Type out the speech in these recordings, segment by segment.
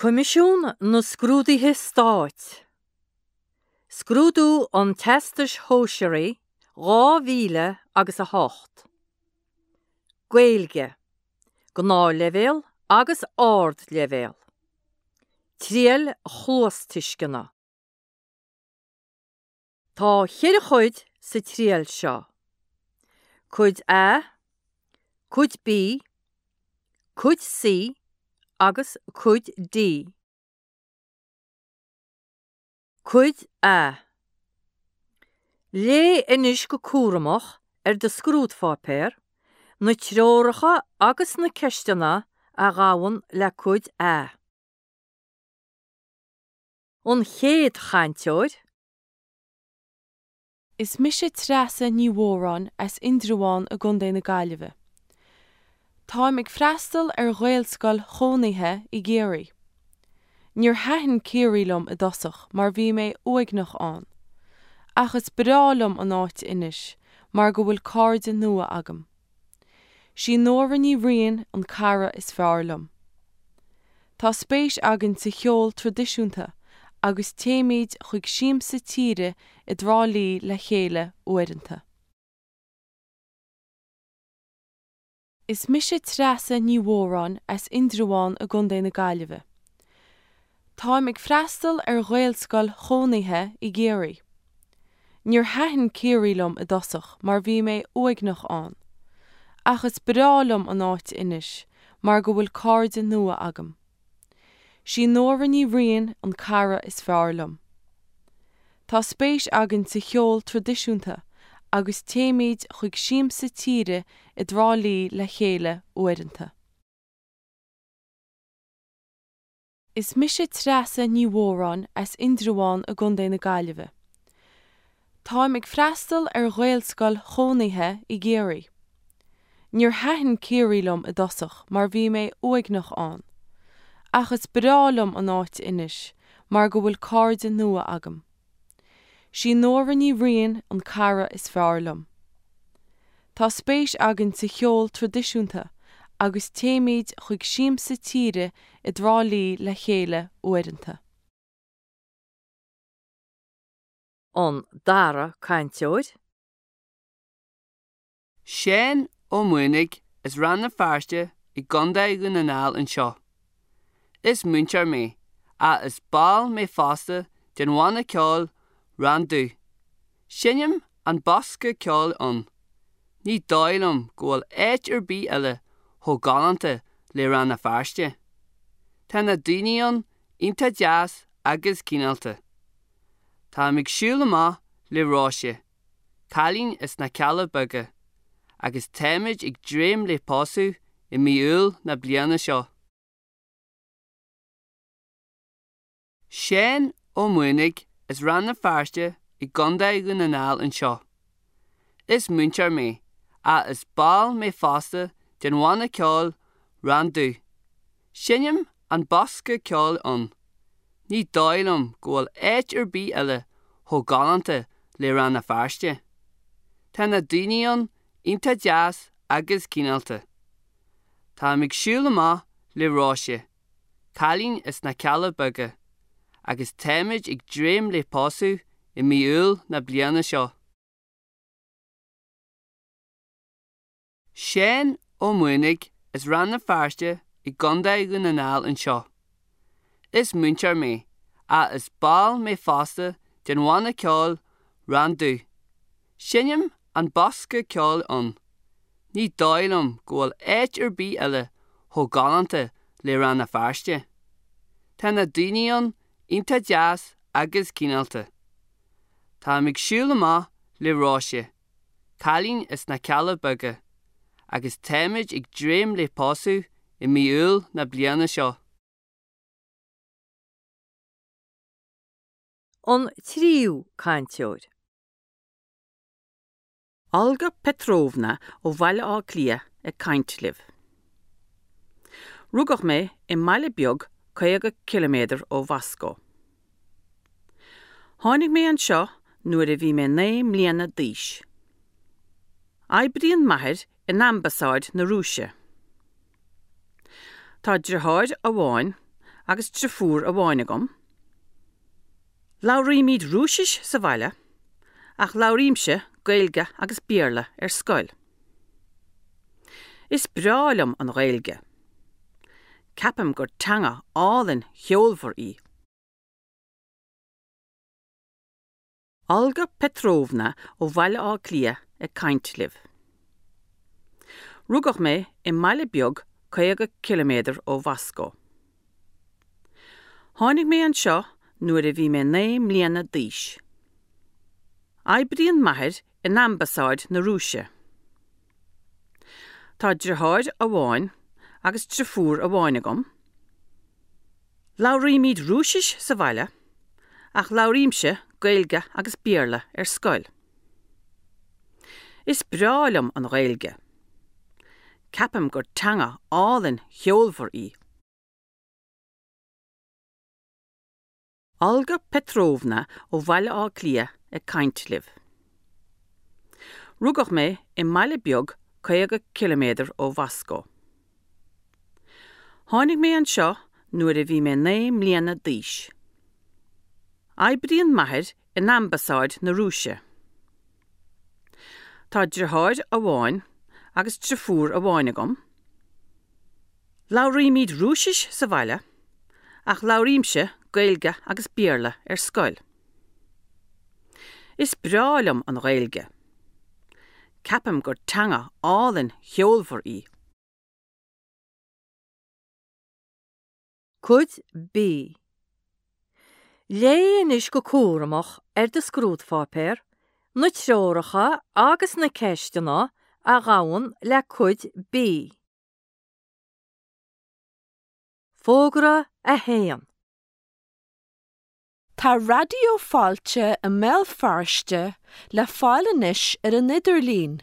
Coimisiún na Scrúduithe Stáit, Scrúdú an Teastais Shóisearaigh 2000 agus 8. Gaeilge, Gnáthleibhéal agus Ardleibhéal. Triail chluastuisceana. Tá cheithre chuid sa triail seo, Cuid A, Cuid B, Cuid C agus Cuid D. Cuid A. Léigh anois go cúramach ar do scrúdpháipéar na treoracha agus na ceisteanna a ghabhann le Cuid A. An chéad chainteoir. Is mise Treasa Ní Mhóráin as Indreabhán i gContae na Gaillimhe. Táim ag freastal ar Ghaelscoil chónaithe i gCiarraí. Níor thaitin Ciarraí liom i dtosach mar bhí mé uaigneach ann. Ach is breá liom an áit anois mar go bhfuil cairde nua agam. Sí Nóra Ní Riain an cara is fearr liom. Tá spéis againn sa cheol traidisiúnta agus téimid chuig siamsa tíre i dTrá Lí le chéile uaireanta. Is mise Treasa Ní Mhóráin as Indreabhán i gContae na Gaillimhe. Táim ag freastal ar Ghaelscoil chónaithe i gCiarraí. Níor thaitin Ciarraí liom i dtosach mar bhí mé uaigneach ann. Ach is breá liom an áit anois mar go bhfuil cairde nua agam. Sí Nóra Ní Riain an cara is fearr liom. Tá spéis againn sa cheol traidisiúnta agus téimid chuig siamsa tíre i dTrá Lí le chéile uaireanta. Is mise Treasa Ní Mhóráin as Indreabhán i gContae na Gaillimhe. Táim ag freastal ar Ghaelscoil chónaithe i gCiarraí. Níor thaitin Ciarraí liom i dtosach mar bhí mé uaigneach ann. Ach is breá liom an áit anois mar go bhfuil cairde nua agam. Sí Nóra Ní Riain an cara is fearr liom. Tá spéis againn sa cheol traidisiúnta agus téimid chuig siamsa tíre i dTrá Lí le chéile uaireanta. An dara cainteoir. Seán Ó Maonaigh as Rann na Feirste i gContae Dhún na nGall anseo. Is múinteoir mé, ach is ball mé fosta den bhanna ceoil Randú. Seinnim an bosca ceoil ann. Ní dóigh liom go bhfuil áit ar bith eile chomh galánta le Rann na Feirste. Tá na daoine ann iontach deas agus cineálta. Táim ag siúl amach le Róise. cailín as na Cealla Beaga, agus táimid ag dréim le pósadh i mí Iúil na bliana seo. Seán Ó Maonaigh as Rann na Feirste i gContae Dhún na nGall anseo. Is múinteoir mé, ach is ball mé fosta den bhanna ceoil Randú. Seinnim an bosca ceoil ann. Ní dóigh liom go bhfuil áit ar bith eile chomh galánta le Rann na Feirste. Tá na daoine ann iontach deas agus cineálta. Táim ag siúl amach le Róise, cailín as na Cealla Beaga, agus táimid ag dréim le pósadh i mí Iúil na bliana seo. Seán Ó Maonaigh as Rann na Feirste i gContae Dhún na nGall anseo. Is múinteoir mé, ach is ball mé fosta den bhanna ceoil Randú. Seinnim an bosca ceoil ann. Ní dóigh liom go bhfuil áit ar bith eile chomh galánta le Rann na Feirste. Tá na daoine ann iontach deas agus cineálta. Táim ag siúl amach le Róise. cailín as na Cealla Beaga, agus táimid ag dréim le pósadh i mí Iúil na bliana seo. An tríú cainteoir. Olga Petrovna ó Bhaile Átha Cliath ag caint libh. Rugadh mé i mbaile beag 50 ciliméadar ó Mhoscó. Tháinig mé anseo nuair a bhí mé 9 mbliana d'aois. Oibríonn m'athair in ambasáid na Rúise. Tá driotháir amháin agus driofúr amháin agam. Labhraímid Rúisis sa bhaile ach labhraímse Gaeilge agus Béarla ar scoil. Is breá liom an Ghaeilge. Ceapaim gur teanga álainn cheolmhar í. Olga Petrovna ó Bhaile Átha Cliath ag caint libh. Rugadh mé i mbaile beag 50 ciliméadar ó Mhoscó. Tháinig mé anseo nuair a bhí mé 9 mbliana d'aois. Oibríonn m'athair in Ambasáid na Rúise. Tá driotháir amháin agus driofúr amháin agam. Labhraímid Rúisis sa bhaile ach labhraímse Gaeilge agus Béarla ar scoil. Is breá liom an Ghaeilge. Ceapaim gur teanga álainn cheolmhar í. Olga Petrovna ó Bhaile Átha Cliath ag caint libh. Rugadh mé i mbaile beag 50 ciliméadar ó Mhoscó. Tháinig mé anseo nuair a bhí mé 9 mbliana d'aois. Oibríonn m'athair in Ambasáid na Rúise. Tá driotháir amháin agus driofúr amháin agam. Labhraímid Rúisis sa bhaile ach labhraímse Gaeilge agus Béarla ar scoil. Is breá liom an Ghaeilge. Ceapaim gur teanga álainn cheolmhar í. Cuid B. Léigh anois go cúramach ar do scrúdpháipéar na treoracha agus na ceisteanna a ghabhann le Cuid B. Fógra 1. Tá Raidió Fáilte i mBéal Feirste le fáil anois ar an idirlíon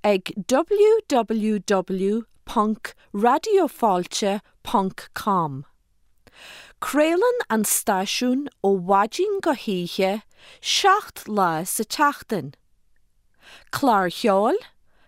ag www.raidiofáilte.com. Craolann an stáisiún ó mhaidin go hoíche, 7 lá sa tseachtain. Cláir cheoil,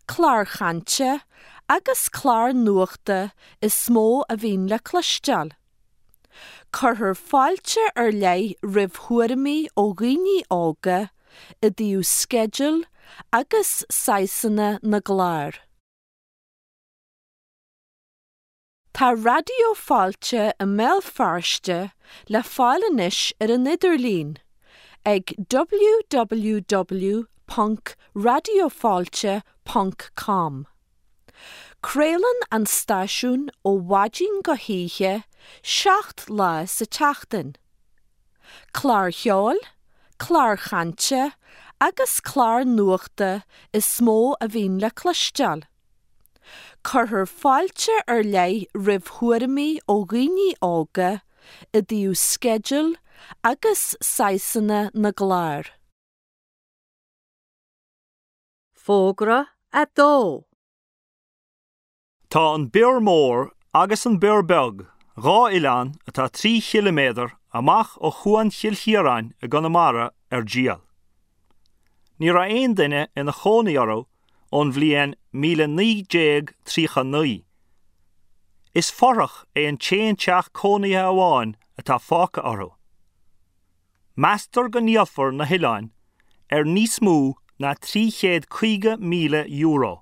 cláir chainte agus cláir nuachta is mó a bhíonn le cloisteáil. Cuirtear fáilte ar leith roimh thuairimí ó dhaoine óga i dtaobh sceidil agus saghsanna na gclár. Tá Raidió Fáilte i mBéal Feirste le fáil anois ar an idirlíon ag www.raidiofáilte.com. Craolann an stáisiún ó mhaidin go hoíche, 7 lá sa tseachtain. Cláir cheoil, cláir chainte agus cláir nuachta is mó a bhíonn le cloisteáil. Cuirtear fáilte ar leith roimh thuairimí ó dhaoine óga i dtaobh sceidil agus saghsanna na gclár. Fógra 2. Tá an Bior Mór agus an Bior Beag, dhá oileán atá 3 chiliméadar amach ó Chuan Chill Chiaráin i gConamara, ar díol. Ní raibh aon duine ina chónaí orthu ón bhliain 1939. Is fothrach é an t-aon teach cónaithe amháin atá fágtha orthu. Meastar go ndíolfar na hoileáin ar níos mó ná €350,000.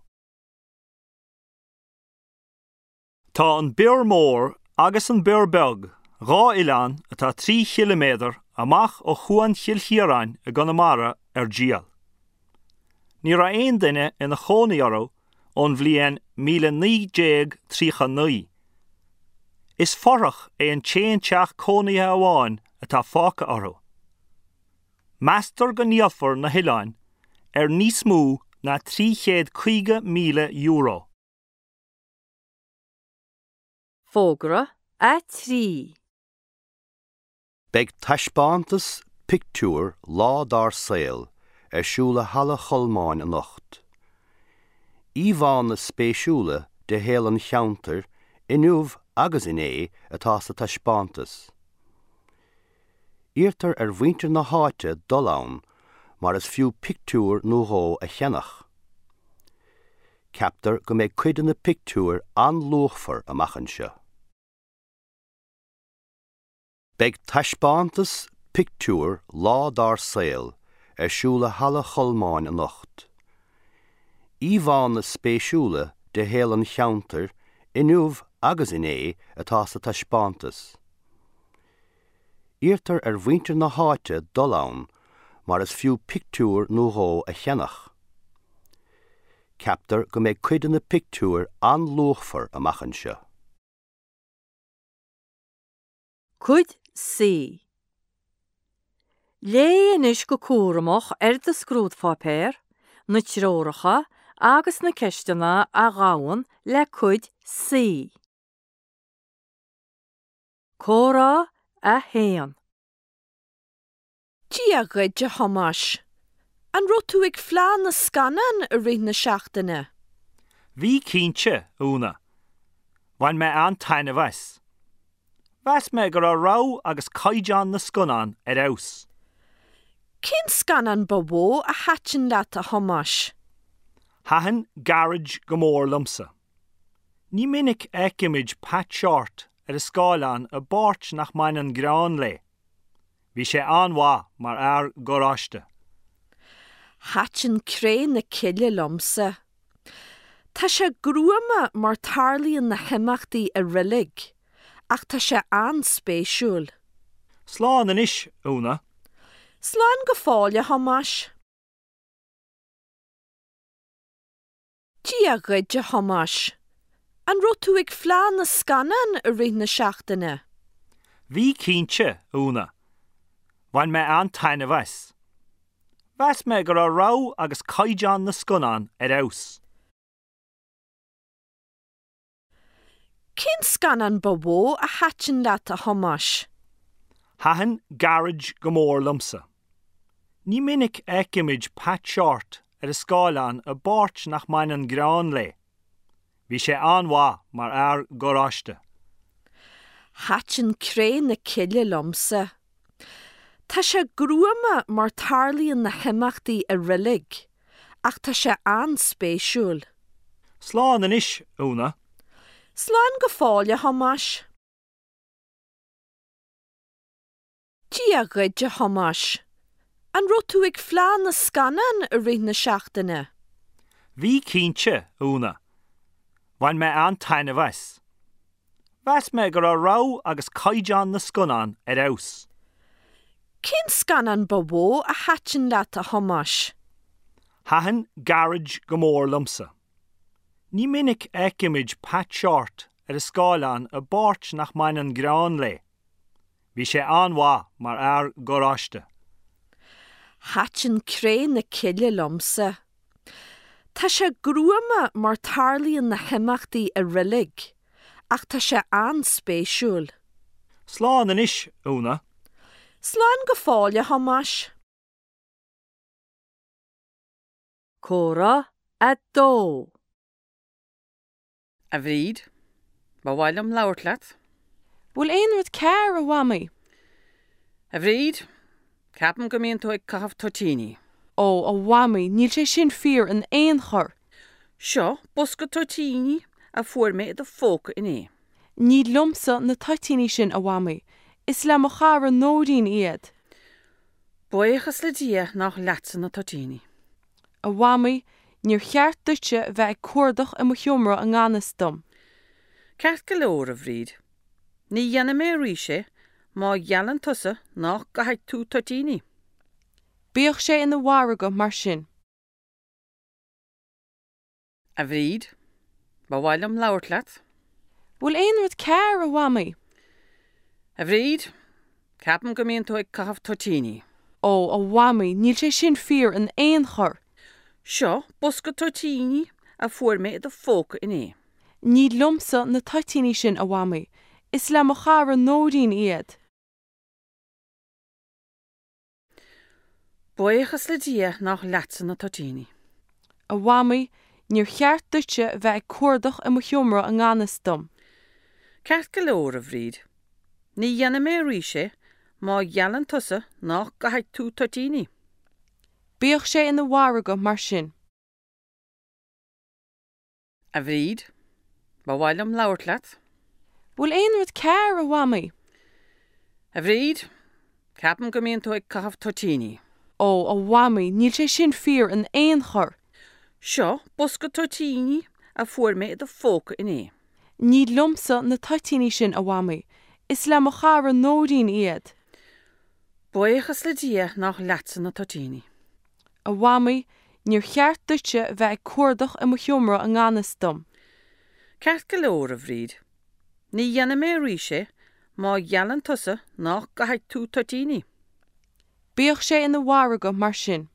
Tá an Bior Mór agus an Bior Beag, dhá oileán atá 3 chiliméadar amach ó Chuan Chill Chiaráin i gConamara, ar díol. Ní raibh aon duine ina chónaí orthu ón bhliain 1939. Is fothrach é an t-aon teach cónaithe amháin atá fágtha orthu. Meastar go ndíolfar na hoileáin ar níos mó ná €350,000. Fógra 3. Beidh taispeántas pictiúr Lá Dár Saol ar siúl i Halla Cholmáin anocht. Íomhánna spéisiúla de shaol an cheantair inniu agus inné atá sa taispeántas. Iarrtar ar mhuintir na háite dul ann mar is fiú pictiúr nó dhó a cheannach. Ceaptar go mbeidh cuid de na pictiúir an-luachmhar amach anseo. Beidh taispeántas pictiúr Lá Dár Saol ar siúl i Halla Cholmáin anocht. Íomhánna spéisiúla de shaol an cheantair inniu agus inné atá sa taispeántas. Iarrtar ar mhuintir na háite dul ann mar is fiú pictiúr nó dhó a cheannach. Ceaptar go mbeidh cuid de na pictiúir an-luachmhar amach anseo. Cuid C. Léigh anois go cúramach ar do scrúdpháipéar na treoracha agus na ceisteanna a ghabhann le Cuid C. Comhrá 1. Dia dhuit, a Thomáis. An raibh tú ag Fleadh na Scannán i rith na seachtaine? Bhí cinnte, a Úna. Bhain mé an-taitneamh as. Mheas mé go raibh rogha agus caighdeán na scannán ar fheabhas. Cén scannán ba mhó a thaitin leat, a Thomáis? Thaitin Garage go mór liomsa. Ní minic a fheicimid Pat Shortt ar an scáileán i bpáirt nach mbaineann greann léi. Bhí sé an-mhaith mar fhear garáiste. Thaitin Cré na Cille liomsa. Tá sé gruama mar tarlaíonn na himeachtaí i reilig, ach tá sé an-spéisiúil. Slán anois, a Úna. Slán go fóill, a Thomáis. Dia dhuit, a Thomáis. An raibh tú ag Fleadh na Scannán i rith na seachtaine? Bhí cinnte, a Úna. Bhain mé an-taitneamh as. Mheas mé go raibh rogha agus caighdeán na scannán ar fheabhas. Cén scannán ba mhó a thaitin leat, a Thomáis? Thaitin Garage go mór liomsa. Ní minic a fheicimid Pat Shortt ar an scáileán i bpáirt nach mbaineann greann léi. Bhí sé an-mhaith mar fhear garáiste. Thaitin Cré na Cille liomsa. Tá sé gruama mar tarlaíonn na himeachtaí i reilig, ach tá sé an-spéisiúil. Slán anois, a Úna. Slán go fóill, a Thomáis. Dia dhuit, a Thomáis. An raibh tú ag Fleadh na Scannán i rith na seachtaine? Bhí cinnte, a Úna. Bhain mé an-taitneamh as. Mheas mé go raibh rogha agus caighdeán na scannán ar fheabhas. Cén scannán ba mhó a thaitin leat, a Thomáis? Thaitin Garage go mór liomsa. Ní minic a fheicimid Pat Shortt ar an scáileán i bpáirt nach mbaineann greann léi. Bhí sé an-mhaith mar fhear garáiste. Thaitin Cré na Cille liomsa. Tá sé gruama mar tarlaíonn na himeachtaí i reilig, ach tá sé an-spéisiúil. Slán anois, a Úna. Slán go fóill, a Thomáis. Comhrá 2. A Bhríd, ba mhaith liom labhairt leat. Bhfuil aon rud cearr, a Mhamaí? A Bhríd, ceapaim go mbíonn tú ag caitheamh toitíní. Ó, a Mhamaí, níl sé sin fíor in aon chor. Seo bosca toitíní a fuair mé i do phóca inné. Ní liomsa na toitíní sin, a Mhamaí. Is le mo chara Nóirín iad. Buíochas le Dia nach leatsa na toitíní. A Mhamaí, níor cheart duitse bheith ag cuardach i mo sheomra i ngan fhios dom. Ceart go leor, a Bhríd. Ní dhéanfaidh mé arís é má gheallann tusa nach gcaithfidh tú toitíní. Bíodh sé ina mhargadh mar sin. A Bhríd, ba mhaith liom labhairt leat. Bhfuil aon rud cearr, a Mhamaí? A Bhríd, ceapaim go mbíonn tú ag caitheamh toitíní. Ó, a Mhamaí, níl sé sin fíor in aon chor. Seo bosca toitíní a fuair mé i do phóca inné. Ní liomsa na toitíní sin, a Mhamaí. Is le mo chara Nóirín iad. Buíochas le Dia nach leatsa na toitíní. A Mhamaí, níor cheart duitse bheith ag cuardach i mo sheomra i ngan fhios dom. Ceart go leor, a Bhríd. Ní dhéanfaidh mé arís é má gheallann tusa nach gcaithfidh tú toitíní. Bíodh sé ina mhargadh mar sin. A Bhríd, ba mhaith liom labhairt leat. Bhfuil aon rud cearr, a Mhamaí? A Bhríd, ceapaim go mbíonn tú ag caitheamh toitíní. Ó, a Mhamaí, níl sé sin fíor in aon chor! Seo bosca toitíní a fuair mé i do phóca inné. Ní liomsa na toitíní sin, a Mhamaí. Is le mo chara Nóirín iad. Buíochas le Dia nach leatsa na toitíní. A Mhamaí, níor cheart duitse bheith ag cuardach i mo sheomra i ngan fhios dom. Ceart go leor, a Bhríd. Ní dhéanfaidh mé arís é má gheallann tusa nach gcaithfidh tú toitíní. Bíodh sé ina mhargadh mar sin.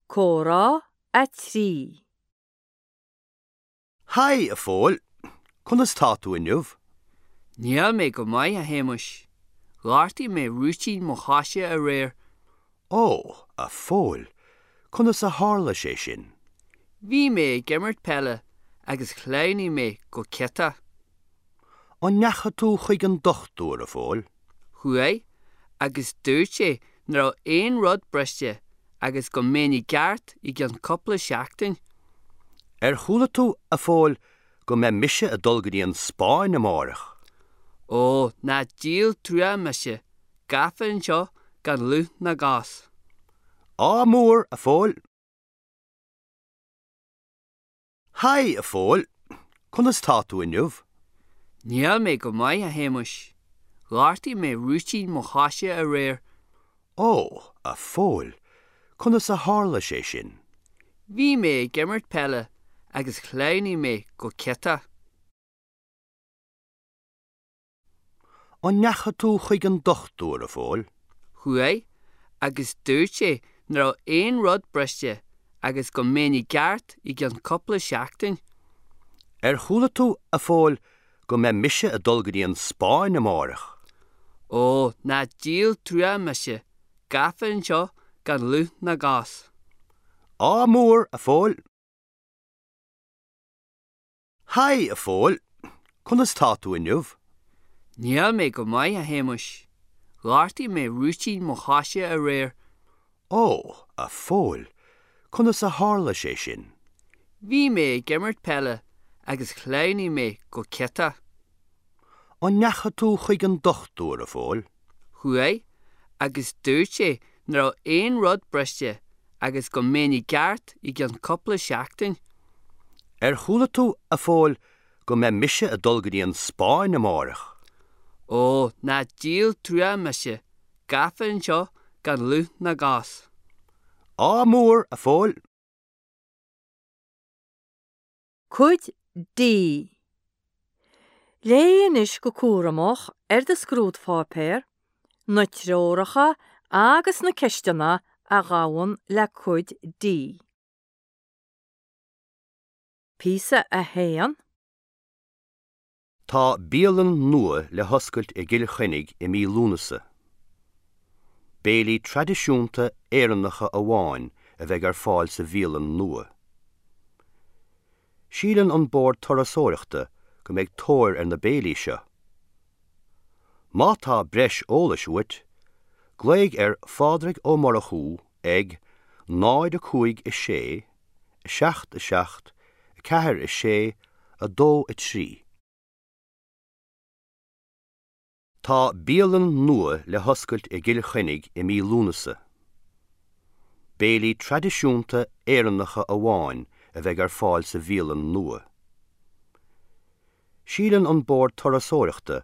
Comhrá 3. Haigh, a Phóil! Conas tá tú inniu? Níl mé go maith, a Shéamuis. Ghortaigh mé rúitín mo choise aréir. Ó, a Phóil, conas a tharla sé sin? Bhí mé ag imirt peile agus shleamhnaigh mé go ciotach. An ndeachaigh tú chuig an dochtúir, a Phóil? Chuaigh, agus dúirt sé nach raibh aon rud briste agus go mbeinn i gceart i gcionn cúpla seachtain. Ar chuala tú, a Phóil, go mbeidh mise ag dul go dtí an Spáinn amáireach? Ó, ná díol trua mise, gafa anseo gan lúth ná gas. Ádh mór, a Phóil! Haigh, a Phóil! Conas tá tú inniu? Níl mé go maith, a Shéamuis. Ghortaigh mé rúitín mo choise aréir. Ó, a Phóil, conas a tharla sé sin? Bhí mé ag imirt peile agus shleamhnaigh mé go ciotach. An ndeachaigh tú chuig an dochtúir, a Phóil? Chuaigh, agus dúirt sé nach raibh aon rud briste agus go mbeinn i gceart i gcionn cúpla seachtain. Ar chuala tú, a Phóil, go mbeidh mise ag dul go dtí an Spáinn amáireach? Ó, ná díol trua mise, gafa anseo gan lúth ná gas. Ádh mór, a Phóil! Haigh, a Phóil! Conas tá tú inniu? Níl mé go maith, a Shéamuis. Ghortaigh mé rúitín mo choise aréir. Ó, a Phóil, conas a tharla sé sin? Bhí mé ag imirt peile agus shleamhnaigh mé go ciotach. An ndeachaigh tú chuig an dochtúir, a Phóil? Chuaigh, agus dúirt sé nach raibh aon rud briste agus go mbeinn i gceart i gcionn cúpla seachtain. Ar chuala tú, a Phóil, go mbeidh mise ag dul go dtí an Spáinn amáireach? Ó, ná díol trua mise, gafa anseo gan lúth ná gas. Ádh mór, a Phóil! Cuid D. Léigh anois go cúramach ar do scrúdpháipéar na treoracha agus na ceisteanna a ghabhann le Cuid D. Píosa 1. Tá bialann nua le hoscailt i gCill Chainnigh i mí Lúnasa. Béilí traidisiúnta Éireannacha amháin a bheidh ar fáil sa bhialann nua. Síleann an Bord Turasóireachta go mbeidh tóir ar na béilí seo. Má tá breis eolais uait, glaoigh ar Phádraig Ó Murchú ag 0 5 6 7 7 4 6 2 3. Tá bialann nua le hoscailt i gCill Chainnigh i mí Lúnasa. Béilí traidisiúnta Éireannacha amháin a bheidh ar fáil sa bhialann nua. Síleann an Bord Turasóireachta.